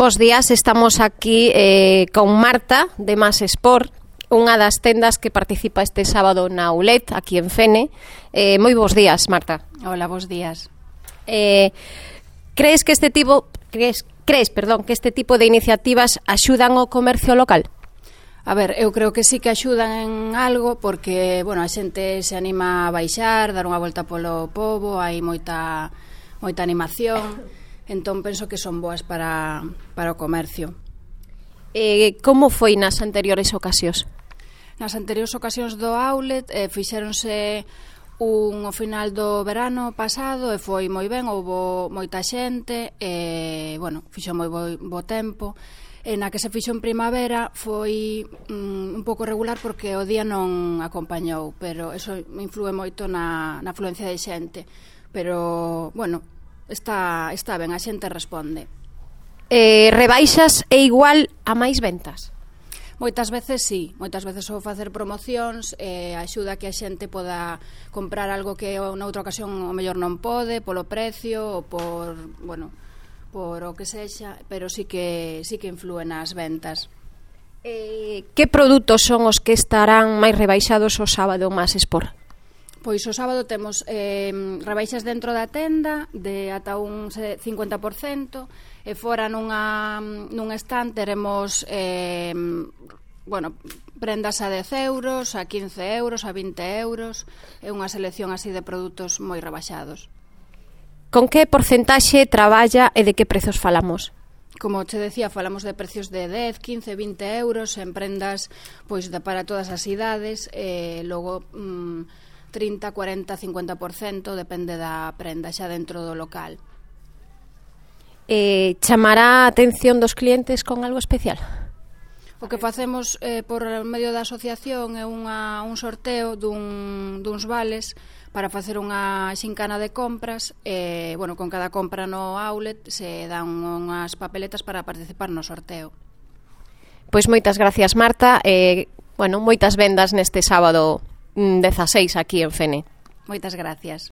Bos días, estamos aquí con Marta de Más Sport, unha das tendas que participa este sábado na ULED, aquí en Fene. Moi bos días, Marta. Hola, bos días. Crees que este tipo de iniciativas axudan ao comercio local? A ver, eu creo que sí que axudan en algo porque, bueno, a xente se anima a baixar, dar unha volta polo pobo, hai moita animación, entón penso que son boas para o comercio. Como foi nas anteriores ocasións? Nas anteriores ocasións do outlet fixéronse ao final do verano pasado e foi moi ben, houbo moita xente, bueno, fixo moi bo tempo. Na que se fixo en primavera foi un pouco regular porque o día non acompañou, pero eso influe moito na afluencia de xente. Pero, bueno, está ben, a xente responde. Rebaixas é igual a máis ventas? Moitas veces sí, moitas veces vou facer promocións, axuda que a xente poda comprar algo que noutra ocasión o mellor non pode, polo precio ou por, bueno, por o que sexa, pero sí que inflúe nas ventas. Que produtos son os que estarán máis rebaixados o sábado Más Sport? Pois o sábado temos rebaixas dentro da tenda de ata un 50%, e fora nun stand teremos bueno, prendas a 10 euros, a 15 euros, a 20 euros, é unha selección así de produtos moi rebaixados. Con que porcentaxe traballa e de que prezos falamos? Como te decía, falamos de precios de 10, 15, 20 euros en prendas pois para todas as idades, logo 30, 40, 50%, depende da prenda xa dentro do local. Chamará a atención dos clientes con algo especial? O que facemos por medio da asociación é un sorteo duns vales para facer unha xincana de compras. Bueno, con cada compra no outlet se dan unhas papeletas para participar no sorteo. Pois moitas gracias, Marta. Bueno, moitas vendas neste sábado 16 aquí en Fene. Moitas gracias.